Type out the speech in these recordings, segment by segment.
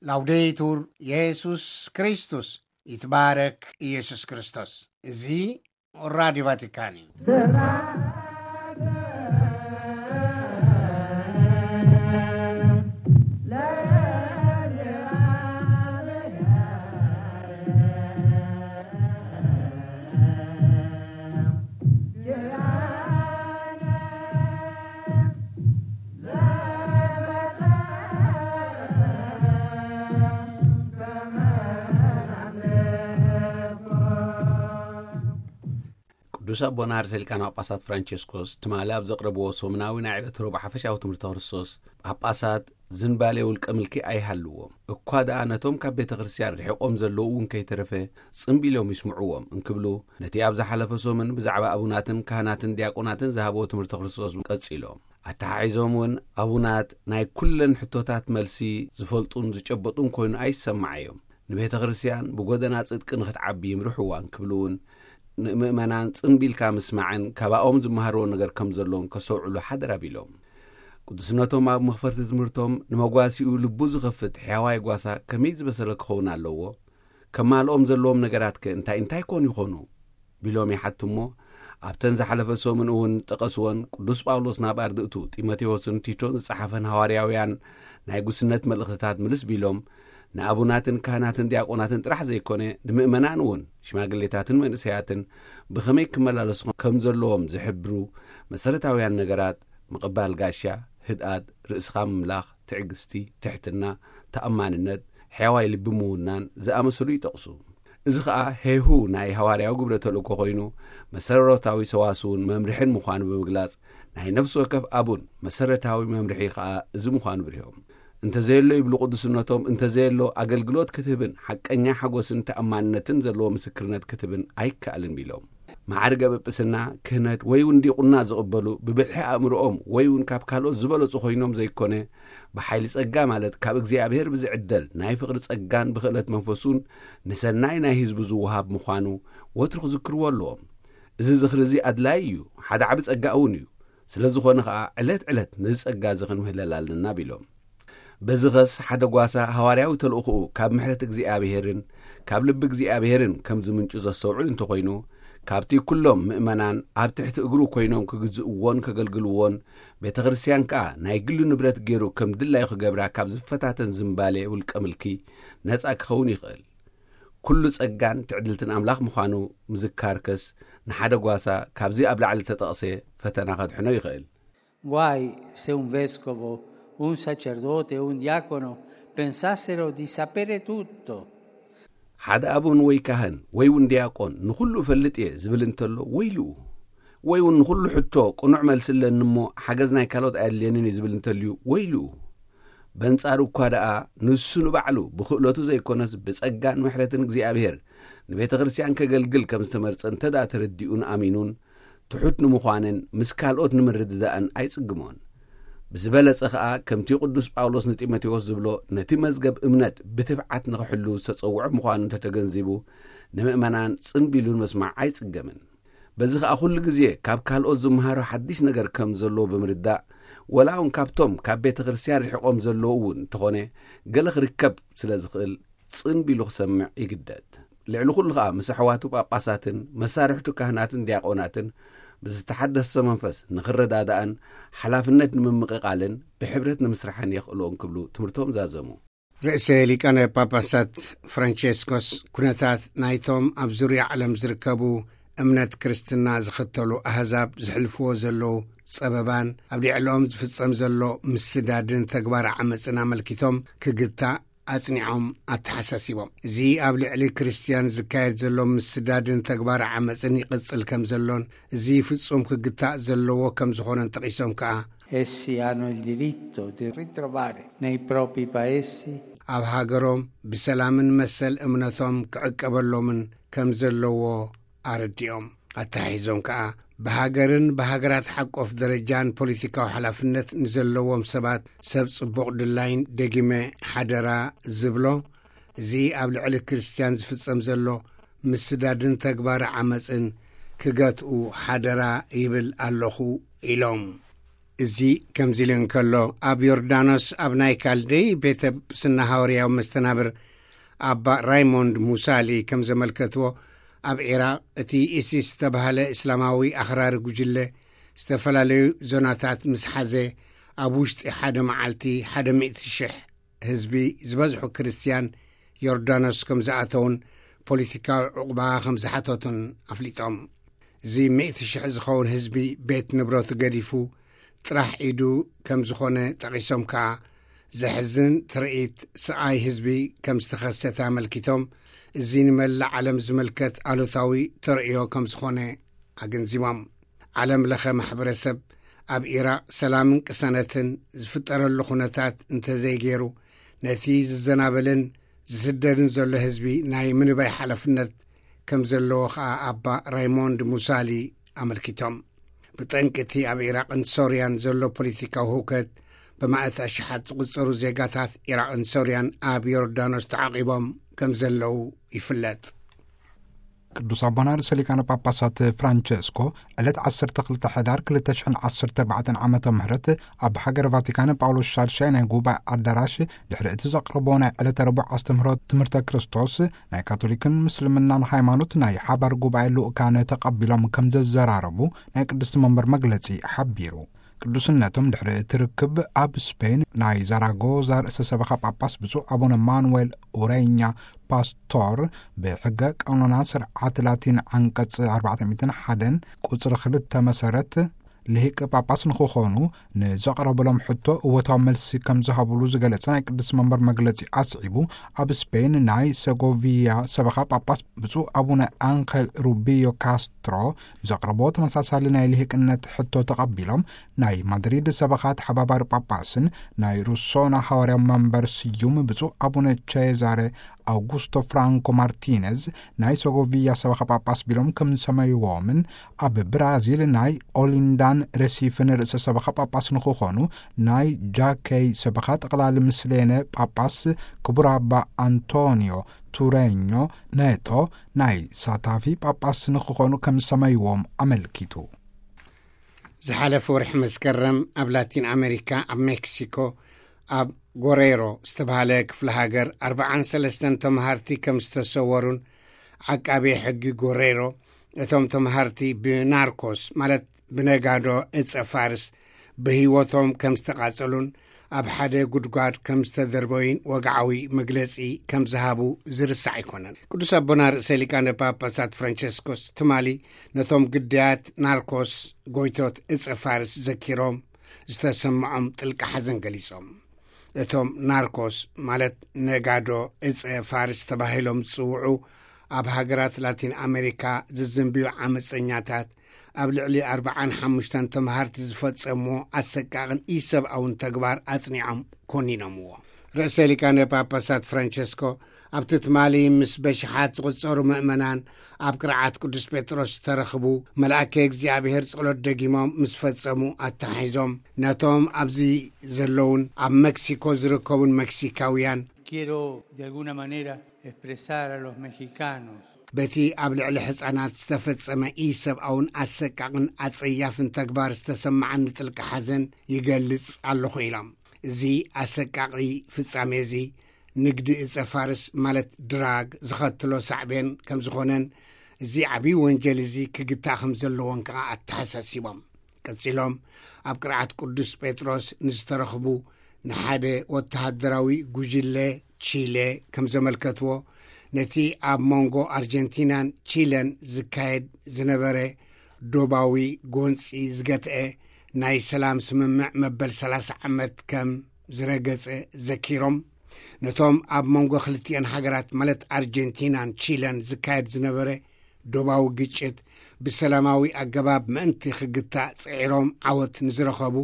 ላውዴቱር የሱስ ክርስቶስ፣ ይትባረክ ኢየሱስ ክርስቶስ። እዚ ራዲዮ ቫቲካን እዩ። ቅዱስ ኣቦና ርእሰ ሊቃነ ጳጳሳት ፍራንቸስኮስ ትማሊ ኣብ ዘቕረብዎ ሰሙናዊ ናይ ዕለተ ረቡዕ ሓፈሻዊ ትምህርቲ ክርስቶስ፣ ጳጳሳት ዝንባሌ ውልቀ ምልኪ ኣይሃልዎም፣ እኳ ደኣ ነቶም ካብ ቤተ ክርስቲያን ርሒቖም ዘለዉ እውን ከይተረፈ ጽምቢሎም ይስምዕዎም እንክብሉ፣ ነቲ ኣብ ዝሓለፈ ሰሙን ብዛዕባ ኣቡናትን ካህናትን ዲያቆናትን ዝሃብዎ ትምህርቲ ክርስቶስ ቀጺሎም። ኣተሓሒዞም እውን ኣቡናት ናይ ኩለን ሕቶታት መልሲ ዝፈልጡን ዝጨበጡን ኮይኑ ኣይሰማዓዮም። ንቤተ ክርስቲያን ብጎደና ጽድቂ ንኽትዓቢ ይምርሕዋ እንክብሉ እውን፣ ንምእመናን ጽምቢልካ ምስማዕን ካባኦም ዝመሃርዎ ነገር ከም ዘሎን ከስተውዕሉ ሓደራ ቢሎም። ቅዱስነቶም ኣብ መኽፈርቲ ትምህርቶም፣ ንመጓሲኡ ልቡ ዝኸፍት ሕያዋይ ጓሳ ከመይ ዝበሰለ ክኸውን ኣለዎ? ከማልኦም ዘለዎም ነገራት ከ እንታይ እንታይ ኮን ይኾኑ? ቢሎም ይሓቱ እሞ፣ ኣብተን ዝሓለፈ ሰሙን እውን ጠቐስወን ቅዱስ ጳውሎስ ናብ ኣርድእቱ ጢሞቴዎስን ቲቶን ዝጸሓፈን ሃዋርያውያን ናይ ጉስነት መልእኽትታት ምልስ ቢሎም፣ ንኣቡናትን ካህናትን ዲያቆናትን ጥራሕ ዘይኮነ፣ ንምእመናን እውን ሽማግሌታትን መንእሰያትን ብኸመይ ክመላለሱ ከም ዘለዎም ዝሕብሩ መሰረታውያን ነገራት፣ ምቕባል ጋሻ፣ ህድኣት፣ ርእስኻ ምምላኽ፣ ትዕግስቲ፣ ትሕትና፣ ተኣማንነት፣ ሕያዋይ ልቢ ምውናን ዝኣመሰሉ ይጠቕሱ። እዚ ኸኣ ሄሁ ናይ ሃዋርያዊ ግብረ ተልእኮ ኮይኑ፣ መሰረታዊ ሰዋስውን መምርሕን ምዃኑ ብምግላጽ፣ ናይ ነፍሲ ወከፍ ኣቡን መሰረታዊ መምርሒ ኸኣ እዚ ምዃኑ ብሪሆም። እንተዘየሎ ይብሉ ቅዱስነቶም፣ እንተዘየሎ ኣገልግሎት ክትህብን ሓቀኛ ሓጎስን ተኣማንነትን ዘለዎ ምስክርነት ክትህብን ኣይከኣልን ቢሎም። ማዕርገ ጵጵስና፣ ክህነት ወይ እውን ዲቁና ዝቕበሉ ብብልሒ ኣእምሮኦም ወይ እውን ካብ ካልኦት ዝበለጹ ኮይኖም ዘይኮነ፣ ብሓይሊ ጸጋ ማለት ካብ እግዚኣብሔር ብዝዕደል ናይ ፍቕሪ ጸጋን ብኽእለት መንፈሱን ንሰናይ ናይ ህዝቡ ዝወሃብ ምዃኑ ወትሩ ክዝክርዎ ኣለዎም። እዚ ዝኽሪ እዚ ኣድላዪ እዩ፣ ሓደ ዓቢ ጸጋ እውን እዩ። ስለ ዝኾነ ኸኣ ዕለት ዕለት ነዚ ጸጋ እዚ ክንምህለል ኣለና ቢሎም። በዚ ኸስ ሓደ ጓሳ ሃዋርያዊ ተልእኾኡ ካብ ምሕረት እግዚኣብሔርን ካብ ልቢ እግዚኣብሔርን ከም ዝምንጩ ዘስተውዕል እንተኾይኑ፣ ካብቲ ኩሎም ምእመናን ኣብ ትሕቲ እግሩ ኮይኖም ክግዝእዎን ከገልግልዎን፣ ቤተ ክርስቲያን ከኣ ናይ ግሉ ንብረት ገይሩ ከም ድላዩ ክገብራ ካብ ዝፈታተን ዝምባሌ ውልቀ ምልኪ ነጻ ክኸውን ይኽእል። ኩሉ ጸጋን ትዕድልትን ኣምላኽ ምዃኑ ምዝካርከስ ንሓደ ጓሳ ካብዚ ኣብ ላዕሊ ዝተጠቕሰ ፈተና ከድሕኖ ይኽእል። Guai se un vescovo, un sacerdote o un diacono pensassero di sapere tutto. ሓደ ኣቡን ወይ ካህን ወይ እውን ዲያቆን ንኹሉ እፈልጥ እየ ዝብል እንተሎ ወይልኡ። ወይ እውን ንኹሉ ሕቶ ቅኑዕ መልሲ ኣለኒ እሞ ሓገዝ ናይ ካልኦት ኣየድልየንን እዩ ዝብል እንተልዩ ወይልኡ። በንጻሩ እኳ ደኣ ንሱ ንባዕሉ ብኽእለቱ ዘይኮነስ ብጸጋን ምሕረትን እግዚኣብሔር ንቤተ ክርስቲያን ከገልግል ከም ዝተመርጸ እንተ ደኣ ተረዲኡን ኣሚኑን ትሑት ንምዃንን ምስ ካልኦት ንምርድዳእን ኣይጽግሞን። ብዝበለጸ ኸኣ ከምቲ ቅዱስ ጳውሎስ ንጢሞቴዎስ ዝብሎ ነቲ መዝገብ እምነት ብትብዓት ንኽሕሉ ዝተጸውዖ ምዃኑ እንተተገንዚቡ ንምእመናን ጽምቢሉን መስማዕ ኣይጽገምን። በዚ ኸኣ ኩሉ ግዜ ካብ ካልኦት ዝመሃሮ ሓድሽ ነገር ከም ዘለዎ ብምርዳእ ወላ እውን ካብቶም ካብ ቤተ ክርስቲያን ርሒቖም ዘለዉ እውን እንተኾነ ገለ ክርከብ ስለ ዝኽእል ጽን ቢሉ ክሰምዕ ይግደድ። ልዕሊ ኩሉ ኸኣ ምስ ኣሕዋቱ ጳጳሳትን መሳርሕቱ ካህናትን ዲያቆናትን ብዝተሓደሰ መንፈስ ንኽረዳዳእን ሓላፍነት ንምምቕቓልን ብሕብረት ንምስራሕን የኽእሎ እንክብሉ ትምህርቶም ዛዘሙ። ርእሰ ሊቃነ ጳጳሳት ፍራንቸስኮስ ኩነታት ናይቶም ኣብ ዙርያ ዓለም ዝርከቡ እምነት ክርስትና ዝኽተሉ ኣህዛብ ዝሕልፍዎ ዘለዉ ጸበባን ኣብ ልዕሎም ዝፍጸም ዘሎ ምስዳድን ተግባር ዓመፅን ኣመልኪቶም ክግታእ ኣጽኒዖም ኣተሓሳሲቦም። እዚ ኣብ ልዕሊ ክርስትያን ዝካየድ ዘሎ ምስዳድን ተግባር ዓመፅን ይቕጽል ከም ዘሎን እዚ ፍጹም ክግታእ ዘለዎ ከም ዝኾነን ጠቒሶም ከኣ Essi hanno il diritto di ritrovare nei propri paesi ኣብ ሃገሮም ብሰላምን መሰል እምነቶም ክዕቀበሎምን ከም ዘለዎ ኣረዲኦም። ኣተሓሒዞም ከኣ ብሃገርን ብሃገራት ሓቆፍ ደረጃን ፖለቲካዊ ሓላፍነት ንዘለዎም ሰባት ሰብ ጽቡቕ ድላይን ደጊመ ሓደራ ዝብሎ እዚ ኣብ ልዕሊ ክርስትያን ዝፍጸም ዘሎ ምስዳድን ተግባር ዓመፅን ክገትኡ ሓደራ ይብል ኣለኹ ኢሎም። እዚ ከምዚ ኢሉ እንከሎ፣ ኣብ ዮርዳኖስ ኣብ ናይ ካልደይ ቤተ ጵስና ሃዋርያዊ መስተናብር ኣባ ራይሞንድ ሙሳሊ ከም ዘመልከትዎ፣ ኣብ ዒራቕ እቲ ኢሲስ ዝተባህለ እስላማዊ ኣኽራሪ ጉጅለ ዝተፈላለዩ ዞናታት ምስ ሓዘ፣ ኣብ ውሽጢ ሓደ መዓልቲ ሓደ ሚእቲ ሽሕ ህዝቢ፣ ዝበዝሑ ክርስትያን፣ ዮርዳኖስ ከም ዝኣተውን ፖለቲካዊ ዕቑባ ከም ዝሓተቱን ኣፍሊጦም። እዚ ሚእቲ ሽሕ ዝኸውን ህዝቢ ቤት ንብረቱ ገዲፉ ጥራሕ ኢዱ ከም ዝኾነ ጠቒሶም ከኣ፣ ዘሕዝን ትርኢት ስቓይ ህዝቢ ከም ዝተኸሰተ ኣመልኪቶም፣ እዚ ንመላእ ዓለም ዝምልከት ኣሉታዊ ተርእዮ ከም ዝኾነ ኣገንዚቦም። ዓለም ለኸ ማሕበረሰብ ኣብ ኢራቕ ሰላምን ቅሳነትን ዝፍጠረሉ ኩነታት እንተዘይገይሩ፣ ነቲ ዝዘናበልን ዝስደድን ዘሎ ህዝቢ ናይ ምንባይ ሓላፍነት ከም ዘለዎ ኸኣ ኣባ ራይሞንድ ሙሳሊ ኣመልኪቶም። ብጠንቂ እቲ ኣብ ኢራቕን ሶርያን ዘሎ ፖለቲካዊ ህውከት፣ ብማእት ኣሽሓት ዝቑጸሩ ዜጋታት ኢራቕን ሶርያን ኣብ ዮርዳኖስ ተዓቂቦም ከም ዘለዉ ይፍለጥ። ቅዱስ ኣቦና ርእሰ ሊቃነ ጳጳሳት ፍራንቸስኮ ዕለት ዓሰርተ ክልተ ሕዳር ክልተ ሽሕን ዓሰርተ ኣርባዕተን ዓመተ ምህረት ኣብ ሃገር ቫቲካን ጳውሎስ ሻድሻይ ናይ ጉባኤ ኣዳራሽ ድሕሪ እቲ ዘቕረቦ ናይ ዕለተ ረቡዕ ኣስተምህሮ ትምህርተ ክርስቶስ፣ ናይ ካቶሊክን ምስልምናን ሃይማኖት ናይ ሓባር ጉባኤ ልኡካን ተቐቢሎም ከም ዘዘራረቡ ናይ ቅድስቲ መንበር መግለጺ ሓቢሩ። ቅዱስነቶም ድሕሪ እቲ ርክብ ኣብ ስፔን ናይ ዛራጎዛ ርእሰ ሰበኻ ጳጳስ ብፁዕ ኣቡነ ማኑዌል ኡሬኛ ፓስቶር፣ ብሕገ ቀኖና ስርዓት ላቲን ዓንቀጽ ኣርባዕተ ሚእትን ሓደን ቁጽሪ ክልተ መሰረት፣ ልሂቅ ጳጳስ ንክኾኑ ንዘቕረበሎም ሕቶ እወታዊ መልሲ ከም ዝሃብሉ ዝገለጸ ናይ ቅድስቲ መንበር መግለጺ ኣስዒቡ፣ ኣብ ስፔን ናይ ሰጎቪያ ሰበኻ ጳጳስ ብፁዕ ኣቡነ ኣንኸል ሩቢዮ ካስትሮ ዘቕረቦ ተመሳሳሊ ናይ ልሂቅነት ሕቶ ተቐቢሎም፣ ናይ ማድሪድ ሰበኻ ተሓባባሪ ጳጳስን ናይ ሩሶና ሃዋርያ መንበር ስዩም ብፁዕ ኣቡነ ቼዛረ ኣውጉስቶ ፍራንኮ ማርቲነዝ ናይ ሰጎቪያ ሰበኻ ጳጳስ ቢሎም ከም ዝሰመይዎምን፣ ኣብ ብራዚል ናይ ኦሊንዳን ረሲፍን ርእሰ ሰበኻ ጳጳስ ንክኾኑ ናይ ጃከይ ሰበኻ ጠቕላሊ ምስሌነ ጳጳስ ክቡር ኣባ ኣንቶኒዮ ቱሬኞ ኔቶ ናይ ሳታፊ ጳጳስ ንክኾኑ ከም ዝሰመይዎም ኣመልኪቱ። ዝሓለፈ ወርሒ መስከረም ኣብ ላቲን ኣሜሪካ፣ ኣብ ሜክሲኮ፣ ኣብ ጎሬሮ ዝተባህለ ክፍለ ሃገር ኣርባዓን ሰለስተን ተምሃርቲ ከም ዝተሰወሩን፣ ዓቃቤ ሕጊ ጎሬሮ፣ እቶም ተምሃርቲ ብናርኮስ፣ ማለት ብነጋዶ እጸ ፋርስ፣ ብህይወቶም ከም ዝተቓጸሉን ኣብ ሓደ ጉድጓድ ከም ዝተደርበዩን ወግዓዊ መግለጺ ከም ዝሃቡ ዝርሳዕ ኣይኮነን። ቅዱስ ኣቦና ርእሰ ሊቃነ ጳጳሳት ፍራንቸስኮስ ትማሊ ነቶም ግዳያት ናርኮስ፣ ጎይቶት እጸ ፋርስ፣ ዘኪሮም ዝተሰምዖም ጥልቂ ሓዘን ገሊጾም። እቶም ናርኮስ፣ ማለት ነጋዶ እጸ ፋርስ ተባሂሎም ዝጽውዑ፣ ኣብ ሃገራት ላቲን ኣሜሪካ ዝዝንብዩ ዓመጸኛታት፣ ኣብ ልዕሊ ኣርባዓን ሓሙሽተን ተምሃርቲ ዝፈጸምዎ ኣሰቃቕን ኢሰብኣውን ተግባር ኣጽኒዖም ኮኒኖምዎ። ርእሰ ሊቃነ ጳጳሳት ፍራንቸስኮ ኣብቲ ትማሊ ምስ በሽሓት ዝቑጸሩ ምእመናን ኣብ ቅርዓት ቅዱስ ጴጥሮስ ዝተረኽቡ፣ መልኣከ እግዚኣብሔር ጸሎት ደጊሞም ምስ ፈጸሙ ኣተሓሒዞም፣ ነቶም ኣብዚ ዘለውን ኣብ መክሲኮ ዝርከቡን መክሲካውያን፣ quiero de alguna manera expresar a los mexicanos በቲ ኣብ ልዕሊ ሕጻናት ዝተፈጸመ ኢሰብኣውን ኣሰቃቕን ኣጸያፍን ተግባር ዝተሰማዓኒ ጥልቂ ሓዘን ይገልጽ ኣለኹ ኢሎም። እዚ ኣሰቃቒ ፍጻሜ እዚ ንግዲ እጸ ፋርስ፣ ማለት ድራግ፣ ዝኸትሎ ሳዕቤን ከም ዝኾነን፣ እዚ ዓብዪ ወንጀል እዚ ክግታእ ከም ዘለዎን ከኣ ኣተሓሳሲቦም። ቀጺሎም፣ ኣብ ቅርዓት ቅዱስ ጴጥሮስ ንዝተረኽቡ ንሓደ ወተሃደራዊ ጉጅለ ቺለ ከም ዘመልከትዎ፣ ነቲ ኣብ መንጎ ኣርጀንቲናን ቺለን ዝካየድ ዝነበረ ዶባዊ ጎንጺ ዝገትአ ናይ ሰላም ስምምዕ መበል ሰላሳ ዓመት ከም ዝረገጸ ዘኪሮም፣ ነቶም ኣብ መንጎ ክልቲኤን ሃገራት፣ ማለት ኣርጀንቲናን ቺለን፣ ዝካየድ ዝነበረ ዶባዊ ግጭት ብሰላማዊ ኣገባብ ምእንቲ ክግታእ ጽዒሮም ዓወት ንዝረኸቡ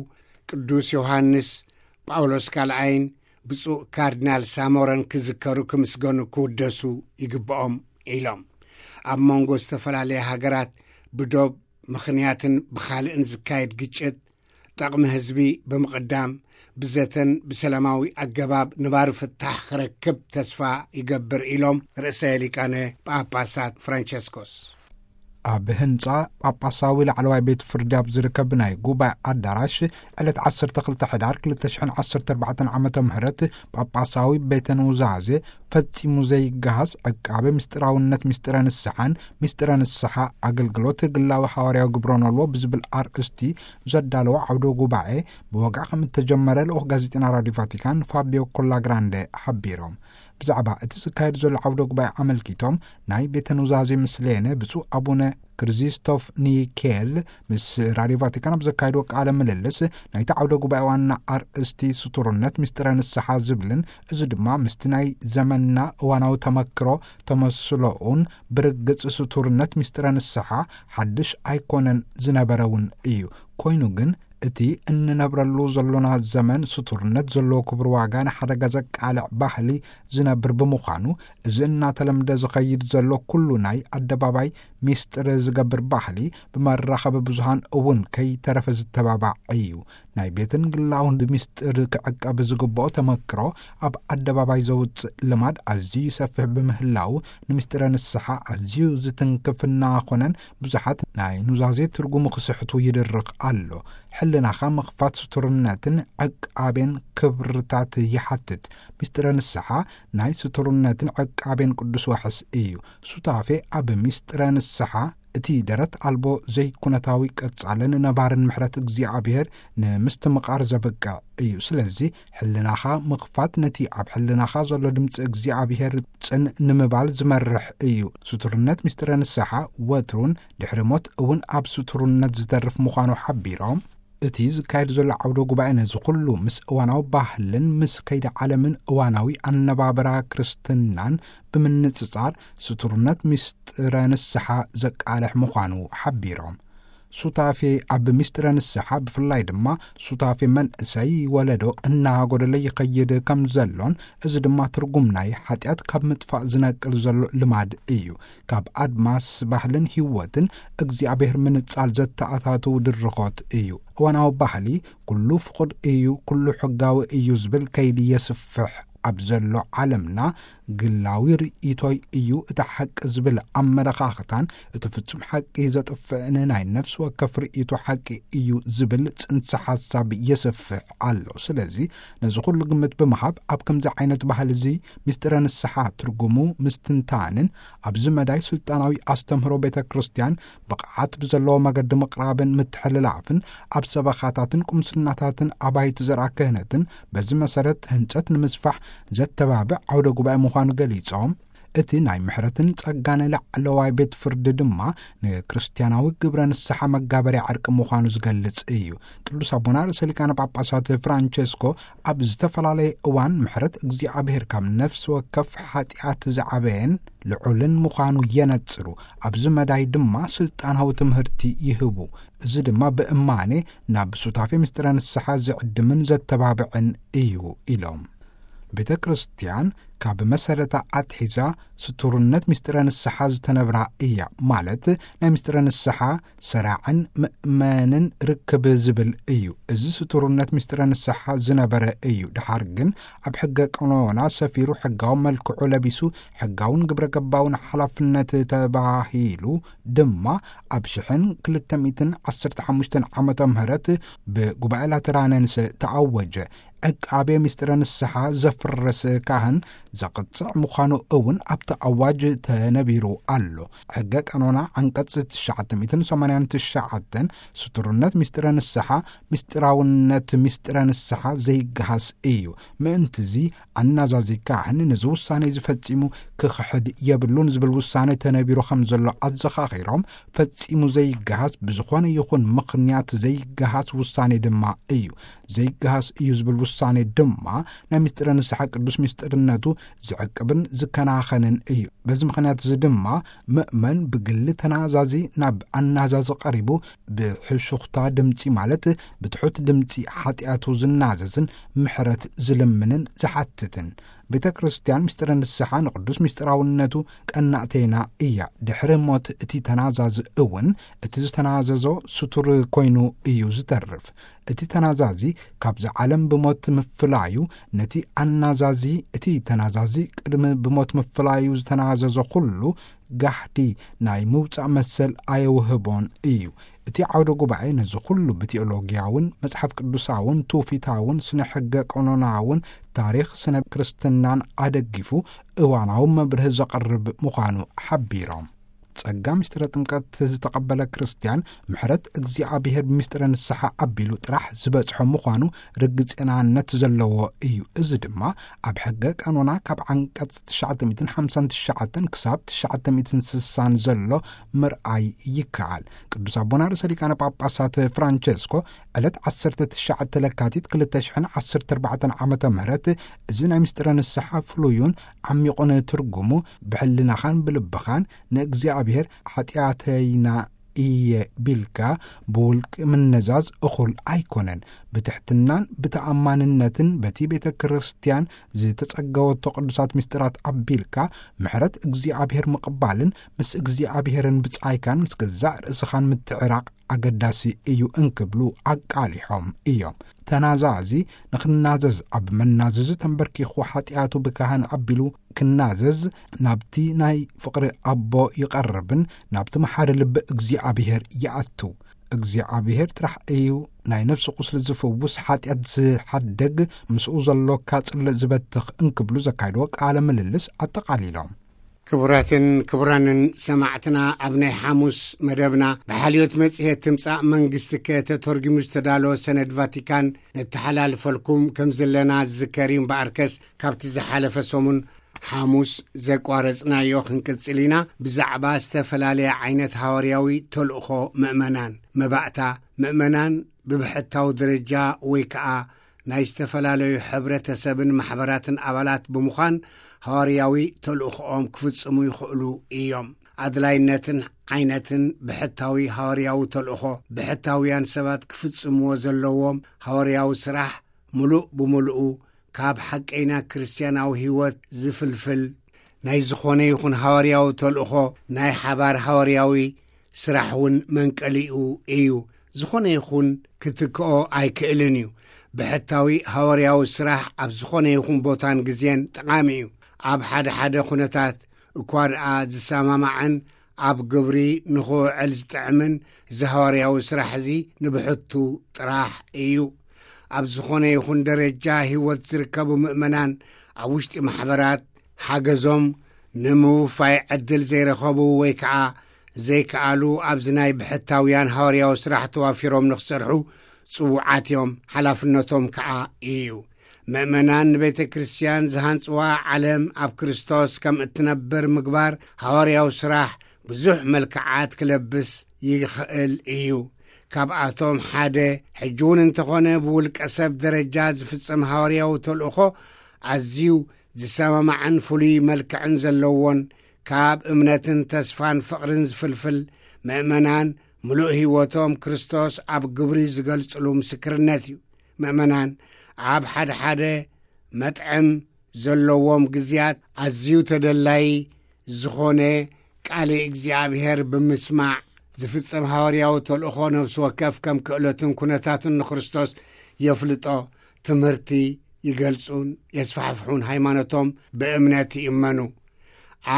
ቅዱስ ዮሃንስ ጳውሎስ ካልኣይን ብፁዕ ካርዲናል ሳሞረን ክዝከሩ፣ ክምስገኑ፣ ክውደሱ ይግብኦም ኢሎም። ኣብ መንጎ ዝተፈላለያ ሃገራት ብዶብ ምኽንያትን ብኻልእን ዝካየድ ግጭት፣ ጠቕሚ ህዝቢ ብምቕዳም፣ ብዘተን ብሰላማዊ ኣገባብ ንባሩ ፍታሕ ክረክብ ተስፋ ይገብር ኢሎም ርእሰ ሊቃነ ጳጳሳት ፍራንቸስኮስ። ኣብ ህንጻ ጳጳሳዊ ላዕለዋይ ቤት ፍርዲ ኣብ ዝርከብ ናይ ጉባኤ ኣዳራሽ፣ ዕለት ዓሰርተ ክልተ ሕዳር ክልተ ሽሕን ዓሰርተ ኣርባዕተን ዓመተ ምህረት፣ ጳጳሳዊ ቤተ ኑዛዜ ፈጺሙ ዘይገሃስ ዕቃበ ምስጢራውነት ምስጢረ ንስሓን ምስጢረ ንስሓ ኣገልግሎት ግላዊ ሓዋርያዊ ግብረ ኖልዎ ብዝብል ኣርእስቲ ዘዳለዎ ዓውደ ጉባኤ ብወግዒ ከም እተጀመረ ልኡኽ ጋዜጠና ራዲዮ ቫቲካን ፋቢዮ ኮላግራንደ ሓቢሮም። ብዛዕባ እቲ ዝካየድ ዘሎ ዓውደ ጉባኤ ኣመልኪቶም ናይ ቤተ ኑዛዜ ምስሌነ ብፁዕ ኣቡነ ክሪዚስቶፍ ኒኬል ምስ ራዲዮ ቫቲካን ኣብ ዘካየድዎ ቃለ ምልልስ፣ ናይቲ ዓውደ ጉባኤ ዋና ኣርእስቲ ስቱርነት ምስጢረ ንስሓ ዝብልን፣ እዚ ድማ ምስቲ ናይ ዘመንና እዋናዊ ተመክሮ ተመስሎኡን ብርግጽ ስቱርነት ምስጢረ ንስሓ ሓድሽ ኣይኮነን፣ ዝነበረ እውን እዩ። ኮይኑ ግን እቲ እንነብረሉ ዘሎና ዘመን ስቱርነት ዘለዎ ክቡር ዋጋ ንሓደጋ ዘቃልዕ ባህሊ ዝነብር ብምዃኑ፣ እዚ እናተለምደ ዝኸይድ ዘሎ ኩሉ ናይ ኣደባባይ ሚስጥር ዝገብር ባህሊ ብመራኸቢ ብዙሃን እውን ከይተረፈ ዝተባባዕ እዩ። ናይ ቤትን ግላውን ብምስጢር ክዕቀብ ዝግብኦ ተመክሮ ኣብ ኣደባባይ ዘውፅእ ልማድ ኣዝዩ ይሰፍሕ ብምህላው፣ ንምስጢረ ንስሓ ኣዝዩ ዝትንክፍ እናኾነን ብዙሓት ናይ ኑዛዜ ትርጉሙ ክስሕቱ ይድርኽ ኣሎ። ሕልናኻ ምኽፋት ስቱርነትን ዕቃቤን ክብርታት ይሓትት። ምስጢረ ንስሓ ናይ ስቱርነትን ዕቃቤን ቅዱስ ዋሕስ እዩ። ሱታፌ ኣብ ምስጢረ ንስሓ እቲ ደረት ኣልቦ ዘይኩነታዊ ቀጻልን ነባርን ምሕረት እግዚኣብሔር ንምስትምቓር ዘብቅዕ እዩ። ስለዚ ሕልናኻ ምኽፋት ነቲ ኣብ ሕልናኻ ዘሎ ድምፂ እግዚኣብሔር ጽን ንምባል ዝመርሕ እዩ። ስቱርነት ምስጢረ ንስሓ ወትሩን ድሕሪ ሞት እውን ኣብ ስቱርነት ዝተርፍ ምዃኑ ሓቢሮም፣ እቲ ዝካየድ ዘሎ ዓውደ ጉባኤ ነዚ ኩሉ ምስ እዋናዊ ባህልን ምስ ከይዲ ዓለምን እዋናዊ ኣነባብራ ክርስትናን ብምንጽጻር ስቱርነት ምስጢረ ንስሓ ዘቃልሕ ምዃኑ ሓቢሮም። ሱታፌ ኣብ ምስጢረ ንስሓ ብፍላይ ድማ ሱታፌ መንእሰይ ወለዶ እናጎደለ ይኸይድ ከም ዘሎን፣ እዚ ድማ ትርጉም ናይ ሓጢኣት ካብ ምጥፋእ ዝነቅል ዘሎ ልማድ እዩ። ካብ ኣድማስ ባህልን ህይወትን እግዚኣብሔር ምንጻል ዘተኣታትው ድርኾት እዩ። እዋናዊ ባህሊ ኩሉ ፍቑድ እዩ፣ ኩሉ ሕጋዊ እዩ ዝብል ከይዲ የስፍሕ ኣብ ዘሎ ዓለምና፣ ግላዊ ርእይቶይ እዩ እቲ ሓቂ ዝብል ኣመለኻኽታን እቲ ፍጹም ሓቂ ዘጥፍእን ናይ ነፍሲ ወከፍ ርእይቶ ሓቂ እዩ ዝብል ጽንሰ ሓሳብ የስፍሕ ኣሎ። ስለዚ ነዚ ኩሉ ግምት ብምሃብ ኣብ ከምዚ ዓይነት ባህሊ እዚ ምስጢረ ንስሓ ትርጉሙ ምስትንታንን ኣብዚ መዳይ ስልጣናዊ ኣስተምህሮ ቤተ ክርስቲያን ብቕዓት ብዘለዎ መገዲ ምቕራብን ምትሕልላፍን ኣብ ሰበኻታትን ቁምስናታትን ኣባይቲ ዘርኣ ክህነትን በዚ መሰረት ህንጸት ንምስፋሕ ዘተባብዕ ዓውደ ጉባኤ ምዃኑ ገሊጾም፣ እቲ ናይ ምሕረትን ጸጋን ላዕለዋይ ቤት ፍርዲ ድማ ንክርስቲያናዊ ግብረ ንስሓ መጋበርያ ዕርቂ ምዃኑ ዝገልጽ እዩ። ቅዱስ ኣቦና ርእሰ ሊቃነ ጳጳሳት ፍራንቸስኮ ኣብ ዝተፈላለየ እዋን ምሕረት እግዚኣብሔር ካብ ነፍሲ ወከፍ ሓጢኣት ዝዓበየን ልዑልን ምዃኑ የነጽሩ። ኣብዚ መዳይ ድማ ስልጣናዊ ትምህርቲ ይህቡ። እዚ ድማ ብእማኔ ናብ ሱታፌ ምስጢረ ንስሓ ዝዕድምን ዘተባብዕን እዩ ኢሎም። ቤተ ክርስቲያን ካብ መሰረታ ኣትሒዛ ስቱርነት ምስጢረ ንስሓ ዝተነብራ እያ። ማለት ናይ ምስጢረ ንስሓ ሰራዕን ምእመንን ርክብ ዝብል እዩ። እዚ ስቱርነት ምስጢረ ንስሓ ዝነበረ እዩ። ድሓር ግን ኣብ ሕገ ቀኖና ሰፊሩ ሕጋዊ መልክዑ ለቢሱ ሕጋውን ግብረ ገባውን ሓላፍነት ተባሂሉ ድማ ኣብ ሽሕን ክልተ ሚእትን ዓሰርተ ሓሙሽተን ዓመተ ምህረት ብጉባኤ ላተራነንስ ተኣወጀ። ዕቃቤ ምስጢረ ንስሓ ዘፍርስ ካህን ዘቕጽዕ ምዃኑ እውን ኣብቲ ኣዋጅ ተነቢሩ ኣሎ። ሕገ ቀኖና ዓንቀጽ ትሽዓተ ሚእትን ሰማንያን ትሽዓተን ስቱርነት ምስጢረ ንስሓ ምስጢራውነት ምስጢረ ንስሓ ዘይገሃስ እዩ። ምእንትዚ ኣናዛዚ ካህን ነዚ ውሳኔ እዚ ፈጺሙ ክኽሕድ የብሉን ዝብል ውሳኔ ተነቢሩ ከም ዘሎ ኣዘኻኺሮም፣ ፈጺሙ ዘይገሃስ ብዝኾነ ይኹን ምኽንያት ዘይገሃስ ውሳኔ ድማ እዩ። ዘይገሃስ እዩ ዝብል ውሳኔ ድማ ናይ ምስጢረ ንስሓ ቅዱስ ምስጢርነቱ ዝዕቅብን ዝከናኸንን እዩ። በዚ ምኽንያት እዚ ድማ ምእመን ብግሊ ተናዛዚ ናብ ኣናዛዚ ቀሪቡ ብሕሹኽታ ድምጺ ማለት ብትሑት ድምጺ ሓጢኣቱ ዝናዘዝን ምሕረት ዝልምንን ዝሓትትን። ቤተ ክርስቲያን ምስጢረ ንስሓ ንቅዱስ ምስጢራውነቱ ቀናእተይና እያ። ድሕሪ ሞት እቲ ተናዛዚ እውን እቲ ዝተናዘዞ ስቱር ኮይኑ እዩ ዝተርፍ። እቲ ተናዛዚ ካብዚ ዓለም ብሞት ምፍላዩ ነቲ ኣናዛዚ፣ እቲ ተናዛዚ ቅድሚ ብሞት ምፍላዩ ዝተናዘዞ ኩሉ ጋህዲ ናይ ምውጻእ መሰል ኣየውህቦን እዩ። እቲ ዓውደ ጉባኤ ነዚ ኩሉ ብቴኦሎጊያውን መጽሓፍ ቅዱሳውን ትውፊታውን ስነ ሕገ ቀኖናውን ታሪኽ ስነ ክርስትናን ኣደጊፉ እዋናዊ መብርህ ዘቕርብ ምዃኑ ሓቢሮም። ጸጋ ምስጢረ ጥምቀት ዝተቐበለ ክርስትያን ምሕረት እግዚኣብሔር ብምስጢረ ንስሓ ኣቢሉ ጥራሕ ዝበጽሖ ምዃኑ ርግጽናነት ዘለዎ እዩ። እዚ ድማ ኣብ ሕገ ቀኖና ካብ ዓንቀጽ ትሽዓተ ሚእትን ሓምሳን ትሽዓተን ክሳብ ትሽዓተ ሚእትን ስሳን ዘሎ ምርኣይ ይከኣል። ቅዱስ ኣቦና ርእሰ ሊቃነ ጳጳሳት ፍራንቸስኮ ዕለት ዓሰርተ ትሽዓተ ለካቲት ክልተ ሽሕን ዓሰርተ ኣርባዕተን ዓመተ ምህረት እዚ ናይ ምስጢረ ንስሓ ፍሉዩን ዓሚቑን ትርጉሙ ብሕልናኻን ብልብኻን ንእግዚኣብሔር ሓጢኣተይና እየ ቢልካ ብውልቂ ምነዛዝ እኹል ኣይኮነን። ብትሕትናን ብተኣማንነትን በቲ ቤተ ክርስቲያን ዝተጸገወቶ ቅዱሳት ምስጢራት ኣቢልካ ምሕረት እግዚኣብሔር ምቕባልን ምስ እግዚኣብሔርን ብጻይካን ምስ ገዛእ ርእስኻን ምትዕራቕ ኣገዳሲ እዩ እንክብሉ ኣቃሊሖም እዮም። ተናዛዚ ንኽናዘዝ ኣብ መናዘዚ ተንበርኪኹ ሓጢኣቱ ብካህን ኣቢሉ ክናዘዝ ናብቲ ናይ ፍቕሪ ኣቦ ይቐርብን ናብቲ መሓሪ ልቢ እግዚኣብሔር ይኣቱ። እግዚኣብሔር ጥራሕ እዩ ናይ ነፍሲ ቁስሊ ዝፍውስ፣ ሓጢኣት ዝሓደግ፣ ምስኡ ዘሎካ ጽልእ ዝበትኽ እንክብሉ ዘካይድዎ ቃለ ምልልስ ኣጠቓሊሎም። ክቡራትን ክቡራንን ሰማዕትና፣ ኣብ ናይ ሓሙስ መደብና ብሓልዮት መጽሔት ትምጻእ መንግስቲ ከተተርጉሙ ዝተዳለወ ሰነድ ቫቲካን ነተሓላልፈልኩም ከም ዘለና ዝዝከር እዩ። እምበኣርከስ ካብቲ ዝሓለፈ ሰሙን ሓሙስ ዘቋረጽናዮ ክንቅጽል ኢና። ብዛዕባ ዝተፈላለየ ዓይነት ሃዋርያዊ ተልእኾ ምእመናን፣ መባእታ ምእመናን ብብሕታዊ ደረጃ ወይ ከኣ ናይ ዝተፈላለዩ ሕብረተሰብን ማሕበራትን ኣባላት ብምዃን ሃዋርያዊ ተልእኾኦም ክፍጽሙ ይኽእሉ እዮም። ኣድላይነትን ዓይነትን ብሕታዊ ሃዋርያዊ ተልእኾ፣ ብሕታውያን ሰባት ክፍጽምዎ ዘለዎም ሃዋርያዊ ስራሕ፣ ምሉእ ብምሉኡ ካብ ሓቀይና ክርስትያናዊ ህይወት ዝፍልፍል ናይ ዝኾነ ይኹን ሃዋርያዊ ተልእኾ ናይ ሓባር ሃዋርያዊ ስራሕ እውን መንቀሊኡ እዩ። ዝኾነ ይኹን ክትክኦ ኣይክእልን እዩ። ብሕታዊ ሃዋርያዊ ስራሕ ኣብ ዝኾነ ይኹን ቦታን ግዜን ጠቓሚ እዩ። ኣብ ሓደ ሓደ ኩነታት እኳ ደኣ ዝሰማማዕን ኣብ ግብሪ ንኽውዕል ዝጥዕምን እዚ ሃዋርያዊ ስራሕ እዚ ንብሕቱ ጥራሕ እዩ። ኣብ ዝኾነ ይኹን ደረጃ ህይወት ዝርከቡ ምእመናን ኣብ ውሽጢ ማሕበራት ሓገዞም ንምውፋይ ዕድል ዘይረኸቡ ወይ ከዓ ዘይከኣሉ ኣብዚ ናይ ብሕታውያን ሃዋርያዊ ስራሕ ተዋፊሮም ንኽሰርሑ ጽዉዓት እዮም። ሓላፍነቶም ከዓ እዩ። ምእመናን ንቤተ ክርስቲያን ዝሃንጽዋ ዓለም ኣብ ክርስቶስ ከም እትነብር ምግባር ሃዋርያዊ ስራሕ ብዙሕ መልክዓት ክለብስ ይኽእል እዩ። ካብኣቶም ሓደ ሕጂ እውን እንተኾነ ብውልቀ ሰብ ደረጃ ዝፍጸም ሃዋርያዊ ተልእኾ ኣዝዩ ዝሰማማዕን ፍሉይ መልክዕን ዘለዎን ካብ እምነትን ተስፋን ፍቕርን ዝፍልፍል ምእመናን ምሉእ ህይወቶም ክርስቶስ ኣብ ግብሪ ዝገልጽሉ ምስክርነት እዩ። ምእመናን ኣብ ሓደ ሓደ መጥዕም ዘለዎም ግዜያት ኣዝዩ ተደላዪ ዝኾነ ቃል እግዚኣብሔር ብምስማዕ ዝፍጸም ሃዋርያዊ ተልእኾ ነፍሲ ወከፍ ከም ክእለቱን ኩነታቱን ንክርስቶስ የፍልጦ፣ ትምህርቲ ይገልጹን የስፋሕፍሑን፣ ሃይማኖቶም ብእምነት ይእመኑ።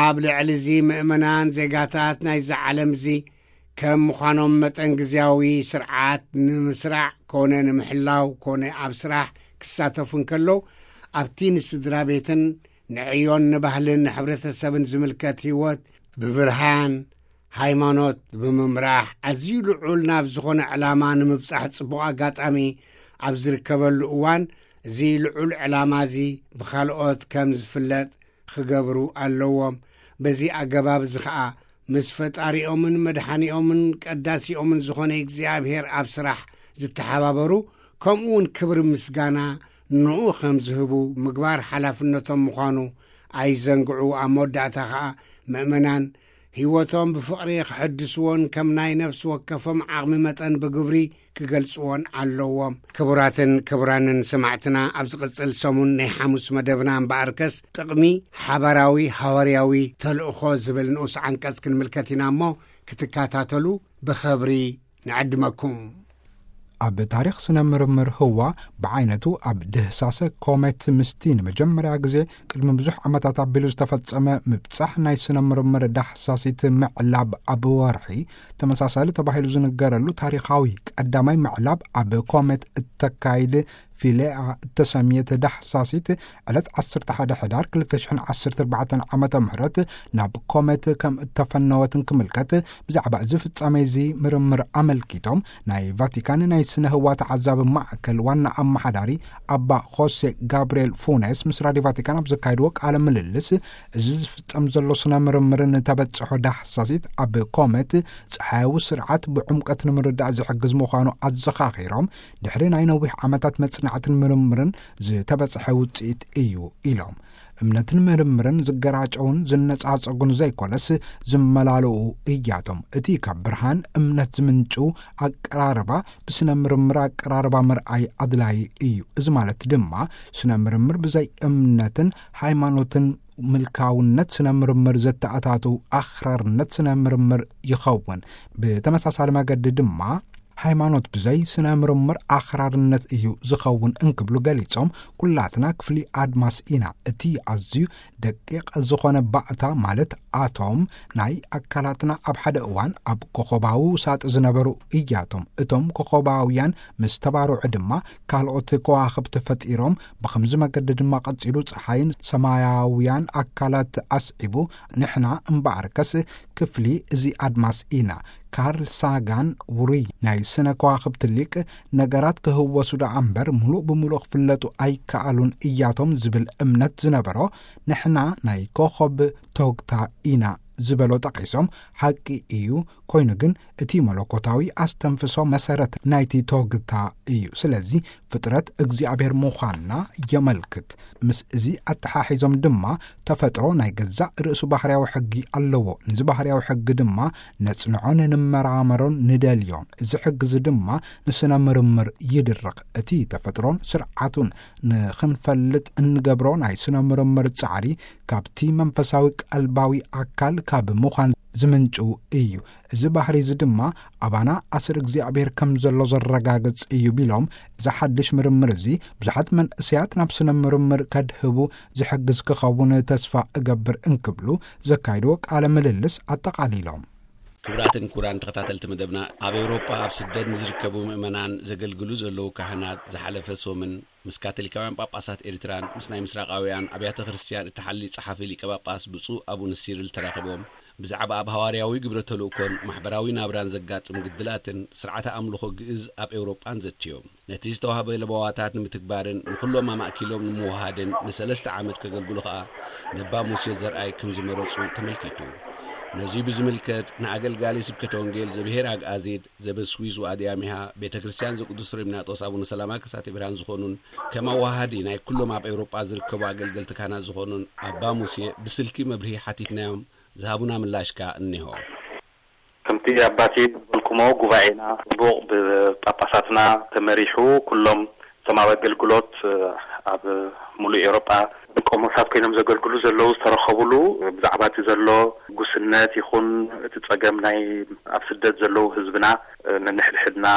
ኣብ ልዕሊ እዚ ምእመናን ዜጋታት ናይዚ ዓለም እዚ ከም ምዃኖም መጠን ግዜያዊ ስርዓት ንምስራዕ ኮነ ንምሕላው ኮነ ኣብ ስራሕ ክሳተፉ እንከለዉ ኣብቲ ንስድራ ቤትን ንዕዮን ንባህልን ንሕብረተሰብን ዝምልከት ህይወት ብብርሃን ሃይማኖት ብምምራሕ ኣዝዩ ልዑል ናብ ዝኾነ ዕላማ ንምብጻሕ ጽቡቕ ኣጋጣሚ ኣብ ዝርከበሉ እዋን እዚ ልዑል ዕላማ እዚ ብኻልኦት ከም ዝፍለጥ ክገብሩ ኣለዎም። በዚ ኣገባብ እዚ ኸኣ ምስ ፈጣሪኦምን መድሓኒኦምን ቀዳሲኦምን ዝኾነ እግዚኣብሔር ኣብ ስራሕ ዝተሓባበሩ ከምኡ እውን ክብሪ ምስጋና ንኡ ከም ዝህቡ ምግባር ሓላፍነቶም ምዃኑ ኣይዘንግዑ። ኣብ መወዳእታ ኸኣ ምእመናን ህይወቶም ብፍቕሪ ክሕድስዎን ከም ናይ ነፍሲ ወከፎም ዓቕሚ መጠን ብግብሪ ክገልጽዎን ኣለዎም። ክቡራትን ክቡራንን ሰማዕትና፣ ኣብ ዝቕጽል ሰሙን ናይ ሓሙስ መደብና እምበኣርከስ ጥቕሚ ሓባራዊ ሃዋርያዊ ተልእኾ ዝብል ንኡስ ዓንቀጽ ክንምልከት ኢና እሞ ክትከታተሉ ብኸብሪ ንዕድመኩም። ኣብ ታሪኽ ስነ ምርምር ህዋ፣ ብዓይነቱ ኣብ ድህሳሰ ኮሜት ምስቲ ንመጀመርያ ግዜ ቅድሚ ብዙሕ ዓመታት ኣቢሉ ዝተፈጸመ ምብጻሕ ናይ ስነ ምርምር ዳህሳሲት ምዕላብ ኣብ ወርሒ፣ ተመሳሳሊ ተባሂሉ ዝንገረሉ ታሪኻዊ ቀዳማይ ምዕላብ ኣብ ኮሜት እተካይድ ፊሌኣ እተሰምየት ዳህሳሲት፣ ዕለት ዓሰርተ ሓደ ሕዳር ክልተ ሽሕን ዓሰርተ ኣርባዕተን ዓመተ ምህረት ናብ ኮሜት ከም እተፈነወትን ክምልከት፣ ብዛዕባ እዚ ፍጻሜ እዚ ምርምር ኣመልኪቶም ናይ ቫቲካን ናይ ስነ ህዋ ተዓዛቢ ማዕከል ዋና ኣመሓዳሪ ኣባ ሆሴ ጋብርኤል ፉነስ ምስ ራድዮ ቫቲካን ኣብ ዘካየድዎ ቃለ ምልልስ፣ እዚ ዝፍጸም ዘሎ ስነ ምርምርን ተበጽሖ ዳህሳሲት ኣብ ኮመት ጸሓያዊ ስርዓት ብዕምቀት ንምርዳእ ዝሕግዝ ምዃኑ ኣዘኻኺሮም፣ ድሕሪ ናይ ነዊሕ ዓመታት መጽናዕትን ምርምርን ዝተበጽሐ ውጽኢት እዩ ኢሎም። እምነትን ምርምርን ዝገራጨውን ዝነጻጸጉን ዘይኮነስ ዝመላለኡ እያቶም። እቲ ካብ ብርሃን እምነት ዝምንጩ ኣቀራርባ ብስነ ምርምር ኣቀራርባ ምርኣይ ኣድላዪ እዩ። እዚ ማለት ድማ ስነ ምርምር ብዘይ እምነትን ሃይማኖትን ምልካውነት ስነ ምርምር ዘተኣታቱ ኣኽራርነት ስነ ምርምር ይኸውን። ብተመሳሳሊ መገዲ ድማ ሃይማኖት ብዘይ ስነ ምርምር ኣኽራርነት እዩ ዝኸውን እንክብሉ ገሊጾም፣ ኩላትና ክፍሊ ኣድማስ ኢና። እቲ ኣዝዩ ደቂቕ ዝኾነ ባእታ ማለት ኣቶም ናይ ኣካላትና ኣብ ሓደ እዋን ኣብ ኮኸባዊ ውሳጥ ዝነበሩ እያቶም። እቶም ኮኸባውያን ምስ ተባርዑ ድማ ካልኦት ከዋኽብቲ ፈጢሮም። ብኸምዚ መገዲ ድማ ቀጺሉ ጸሓይን ሰማያውያን ኣካላት ኣስዒቡ። ንሕና እምበኣርከስ ክፍሊ እዚ ኣድማስ ኢና። ካርል ሳጋን ውሩይ ናይ ስነ ከዋኽብቲ ሊቅ፣ ነገራት ክህወሱ ደኣ እምበር ምሉእ ብምሉእ ክፍለጡ ኣይከኣሉን እያቶም ዝብል እምነት ዝነበሮ፣ ንሕና ናይ ኮኸብ ቶግታ ኢና ዝበሎ ጠቒሶም፣ ሓቂ እዩ፣ ኮይኑ ግን እቲ መለኮታዊ ኣስተንፍሶ መሰረት ናይቲ ቶግታ እዩ። ስለዚ ፍጥረት እግዚኣብሔር ምዃንና የመልክት። ምስ እዚ ኣተሓሒዞም ድማ ተፈጥሮ ናይ ገዛእ ርእሱ ባህርያዊ ሕጊ ኣለዎ። ነዚ ባህርያዊ ሕጊ ድማ ነጽንዖን ንመራመሮን ንደልዮን። እዚ ሕጊ እዚ ድማ ንስነ ምርምር ይድርኽ። እቲ ተፈጥሮን ስርዓቱን ንኽንፈልጥ እንገብሮ ናይ ስነ ምርምር ጻዕሪ ካብቲ መንፈሳዊ ቀልባዊ ኣካል ካብ ምዃን ዝምንጩ እዩ። እዚ ባህሪ እዚ ድማ ኣባና ኣስር እግዚኣብሔር ከም ዘሎ ዘረጋግጽ እዩ ቢሎም፣ እዚ ሓድሽ ምርምር እዚ ብዙሓት መንእሰያት ናብ ስነ ምርምር ከድህቡ ዝሕግዝ ክኸውን ተስፋ እገብር እንክብሉ ዘካይድዎ ቃለ ምልልስ ኣጠቓሊሎም። ክቡራትን ክቡራን ተኸታተልቲ መደብና፣ ኣብ ኤውሮጳ ኣብ ስደት ንዝርከቡ ምእመናን ዘገልግሉ ዘለዉ ካህናት ዝሓለፈ ሶምን ምስ ካቶሊካውያን ጳጳሳት ኤርትራን ምስ ናይ ምስራቃውያን ኣብያተ ክርስቲያን እተሓሊ ጸሓፊ ሊቀ ጳጳስ ብፁዕ ኣቡነ ሲሪል ተራኺቦም ብዛዕባ ኣብ ሃዋርያዊ ግብረ ተልእኮን ማሕበራዊ ናብራን ዘጋጥም ግድላትን ስርዓተ ኣምልኾ ግእዝ ኣብ ኤውሮጳን ዘትዮም። ነቲ ዝተዋህበ ለበዋታት ንምትግባርን ንኹሎም ኣማእኪሎም ንምውሃድን ንሰለስተ ዓመት ከገልግሉ ኸኣ ነባ ሙሴ ዘርኣይ ከም ዝመረጹ ተመልኪቱ። ነዚ ብዝምልከት ንኣገልጋሊ ስብከተ ወንጌል ዘብሔር ኣግኣዚድ ዘበስዊዝ ወኣድያሚሃ ቤተ ክርስቲያን ዘቅዱስ ፍሬምናጦስ ኣቡነ ሰላማ ከሳቴ ብርሃን ዝኾኑን ከም ኣዋሃዲ ናይ ኩሎም ኣብ ኤውሮጳ ዝርከቡ ኣገልገልቲ ካህናት ዝኾኑን ኣባ ሙሴ ብስልኪ መብርሂ ሓቲትናዮም። ዝሃቡና ምላሽ ከኣ እኒሆ። ከምቲ ኣባቲ ዝበልኩሞ ጉባኤና ጽቡቕ ብጳጳሳትና ተመሪሑ ኩሎም እቶም ኣብ ኣገልግሎት ኣብ ሙሉእ ኤውሮጳ ቆሞሳት ኮይኖም ዘገልግሉ ዘለዉ ዝተረኸቡሉ ብዛዕባ እቲ ዘሎ ጉስነት ይኹን እቲ ጸገም ናይ ኣብ ስደት ዘለዉ ህዝብና ነንሕድሕድና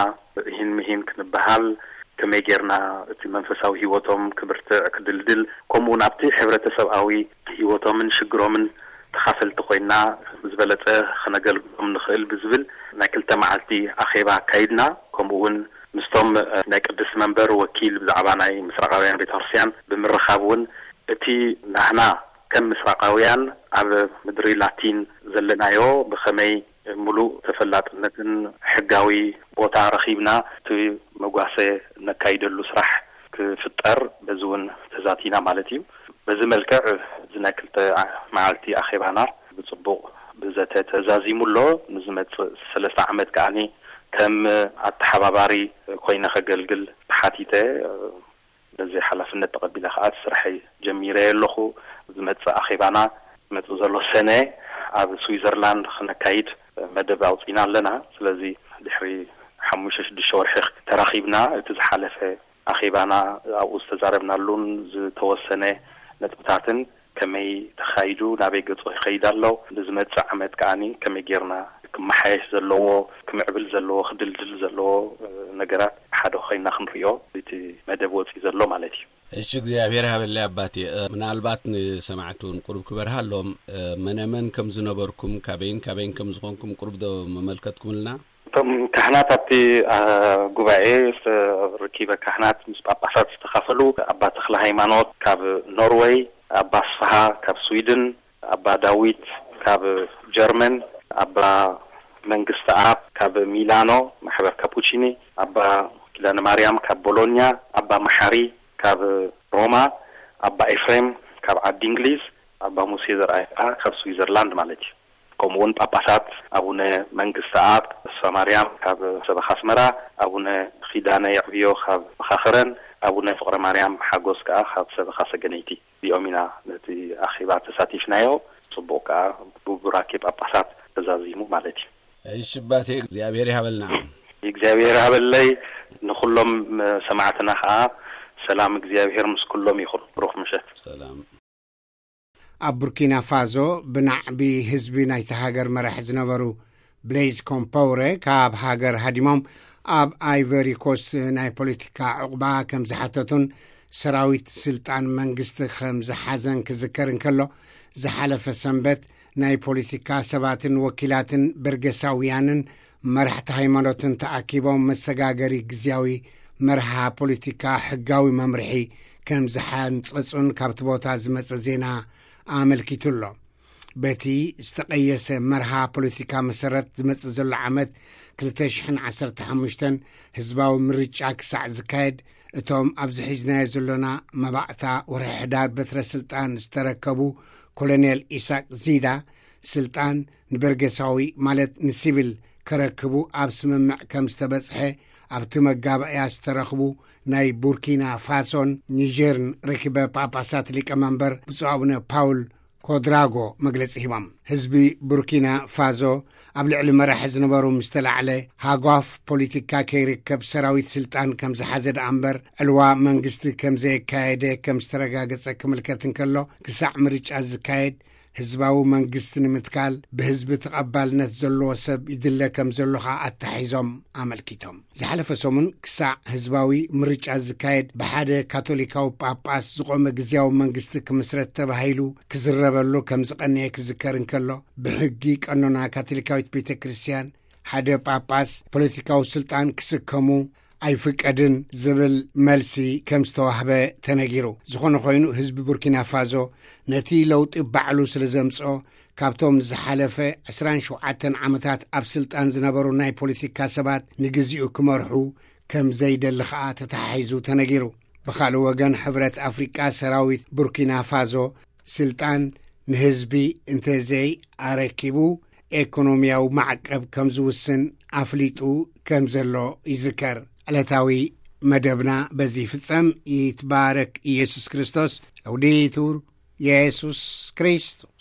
ሂን ምሂን ክንበሃል ከመይ ጌርና እቲ መንፈሳዊ ህይወቶም ክብርትዕ ክድልድል ከምኡውን ኣብቲ ሕብረተሰብኣዊ ህይወቶምን ሽግሮምን ተኻፈልቲ ኮይና ዝበለጸ ክነገልግሎም ንኽእል ብዝብል ናይ ክልተ መዓልቲ ኣኼባ ኣካይድና። ከምኡ እውን ምስቶም ናይ ቅድስቲ መንበር ወኪል ብዛዕባ ናይ ምስራቃውያን ቤተክርስትያን ብምርኻብ እውን እቲ ናህና ከም ምስራቃውያን ኣብ ምድሪ ላቲን ዘለናዮ ብኸመይ ምሉእ ተፈላጥነትን ሕጋዊ ቦታ ረኺብና እቲ መጓሰ ነካይደሉ ስራሕ ክፍጠር በዚ እውን ተዛቲና ማለት እዩ። በዚ መልክዕ እዚ ናይ ክልተ መዓልቲ ኣኼባና ብጽቡቕ ብዘተ ተዛዚሙ ኣሎ። ንዝመጽእ ሰለስተ ዓመት ከኣኒ ከም ኣተሓባባሪ ኮይነ ከገልግል ተሓቲተ። በዚ ሓላፍነት ተቐቢለ ከኣ እቲ ስርሐይ ጀሚረ ኣለኹ። ዝመጽእ ኣኼባና መጽእ ዘሎ ሰነ ኣብ ስዊዘርላንድ ክነካይድ መደብ ኣውጺና ኣለና። ስለዚ ድሕሪ ሓሙሽተ ሽዱሽተ ወርሒ ተራኺብና እቲ ዝሓለፈ ኣኼባና ኣብኡ ዝተዛረብናሉን ዝተወሰነ ነጥብታትን ከመይ ተኻይዱ ናበይ ገጾ ይኸይድ ኣሎ ንዝመጽእ ዓመት ከኣኒ ከመይ ጌርና ክመሓየሽ ዘለዎ ክምዕብል ዘለዎ ክድልድል ዘለዎ ነገራት ሓደ ኮይና ክንሪኦ እቲ መደብ ወፂ ዘሎ ማለት እዩ። እሺ እግዚኣብሔር ሃበለይ ኣባቴ። ምናልባት ንሰማዕቲ እውን ቁሩብ ክበርሃሎም፣ መነመን ከም ዝነበርኩም፣ ካበይን ካበይን ከም ዝኾንኩም ቁሩብ ዶ መመልከትኩምልና? እቶም ካህናት ኣብቲ ጉባኤ ርኪበ ካህናት ምስ ጳጳሳት ዝተኻፈሉ ኣባ ተክለ ሃይማኖት ካብ ኖርወይ፣ ኣባ ኣስፍሃ ካብ ስዊድን፣ ኣባ ዳዊት ካብ ጀርመን፣ ኣባ መንግስቲ ኣብ ካብ ሚላኖ ማሕበር ካፑቺኒ፣ ኣባ ኪዳነ ማርያም ካብ ቦሎኛ፣ ኣባ መሓሪ ካብ ሮማ፣ ኣባ ኤፍሬም ካብ ዓዲ እንግሊዝ፣ ኣባ ሙሴ ዘርኣይ ከዓ ካብ ስዊዘርላንድ ማለት እዩ። ከምኡ እውን ጳጳሳት ኣቡነ መንግስቲ ኣብ ተስፋ ማርያም ካብ ሰበኻ ኣስመራ፣ ኣቡነ ኪዳነ የዕብዮ ካብ መኻኽረን፣ ኣቡነ ፍቕረ ማርያም ሓጎስ ከዓ ካብ ሰበኻ ሰገነይቲ። እዚኦም ኢና ነቲ ኣኼባ ተሳቲፍናዮ። ጽቡቕ ከዓ ብቡራኬ ጳጳሳት ተዛዚሙ ማለት እዩ። እሺ ኣባቴ እግዚኣብሔር ይሃበልና። እግዚኣብሔር ሃበለይ። ንኹሎም ሰማዕትና ከዓ ሰላም እግዚኣብሔር ምስ ኩሎም ይኹን። ብሩኽ ምሸት። ሰላም። ኣብ ቡርኪና ፋዞ ብናዕቢ ህዝቢ ናይቲ ሃገር መራሕ ዝነበሩ ብሌዝ ኮምፓውረ ካብ ሃገር ሃዲሞም ኣብ ኣይቨሪ ኮስት ናይ ፖለቲካ ዕቑባ ከም ዝሓተቱን ሰራዊት ስልጣን መንግስቲ ከም ዝሓዘን ክዝከር እንከሎ፣ ዝሓለፈ ሰንበት ናይ ፖለቲካ ሰባትን ወኪላትን በርገሳውያንን መራሕቲ ሃይማኖትን ተኣኪቦም መሰጋገሪ ግዝያዊ መርሃ ፖለቲካ ሕጋዊ መምርሒ ከም ዝሓንጸጹን ካብቲ ቦታ ዝመጸ ዜና ኣመልኪቱ ኣሎ። በቲ ዝተቐየሰ መርሃ ፖለቲካ መሰረት ዝመጽእ ዘሎ ዓመት ክልተ ሽሕን ዓሰርተ ሓሙሽተን ህዝባዊ ምርጫ ክሳዕ ዝካየድ፣ እቶም ኣብዚ ሒዝናዮ ዘሎና መባእታ ወርሒ ሕዳር በትረ ስልጣን ዝተረከቡ ኮሎኔል ኢሳቅ ዚዳ፣ ስልጣን ንበርገሳዊ ማለት ንሲቪል ከረክቡ ኣብ ስምምዕ ከም ዝተበጽሐ ኣብቲ መጋባእያ ዝተረኽቡ ናይ ቡርኪና ፋሶን ኒጀርን ርክበ ጳጳሳት ሊቀመንበር ብፁዕ ኣቡነ ፓውል ኮድራጎ መግለጺ ሂቦም። ህዝቢ ቡርኪና ፋዞ ኣብ ልዕሊ መራሒ ዝነበሩ ምስ ተላዕለ፣ ሃጓፍ ፖለቲካ ከይርከብ ሰራዊት ስልጣን ከም ዝሓዘ ደኣ እምበር፣ ዕልዋ መንግስቲ ከም ዘየካየደ ከም ዝተረጋገጸ ክምልከት እንከሎ፣ ክሳዕ ምርጫ ዝካየድ ህዝባዊ መንግስቲ ንምትካል ብህዝቢ ተቐባልነት ዘለዎ ሰብ ይድለ ከም ዘሎ ኸኣ ኣተሓሒዞም ኣመልኪቶም። ዝሓለፈ ሰሙን ክሳዕ ህዝባዊ ምርጫ ዝካየድ ብሓደ ካቶሊካዊ ጳጳስ ዝቖመ ግዝያዊ መንግስቲ ክምስረት ተባሂሉ ክዝረበሉ ከም ዝቐነየ ክዝከር እንከሎ፣ ብሕጊ ቀኖና ካቶሊካዊት ቤተ ክርስቲያን ሓደ ጳጳስ ፖለቲካዊ ስልጣን ክስከሙ ኣይፍቀድን ዝብል መልሲ ከም ዝተዋህበ ተነጊሩ። ዝኾነ ኮይኑ ህዝቢ ቡርኪና ፋዞ ነቲ ለውጢ ባዕሉ ስለ ዘምጽኦ፣ ካብቶም ንዝሓለፈ ዕስራን ሸውዓተን ዓመታት ኣብ ስልጣን ዝነበሩ ናይ ፖለቲካ ሰባት ንግዚኡ ክመርሑ ከም ዘይደሊ ኸኣ ተተሓሒዙ ተነጊሩ። ብኻልእ ወገን ሕብረት ኣፍሪቃ ሰራዊት ቡርኪና ፋዞ ስልጣን ንህዝቢ እንተዘይ ኣረኪቡ ኤኮኖሚያዊ ማዕቀብ ከም ዝውስን ኣፍሊጡ ከም ዘሎ ይዝከር። ዕለታዊ መደብና በዚ ይፍጸም። ይትባረክ ኢየሱስ ክርስቶስ። ለውዲቱር ኢየሱስ ክርስቶስ።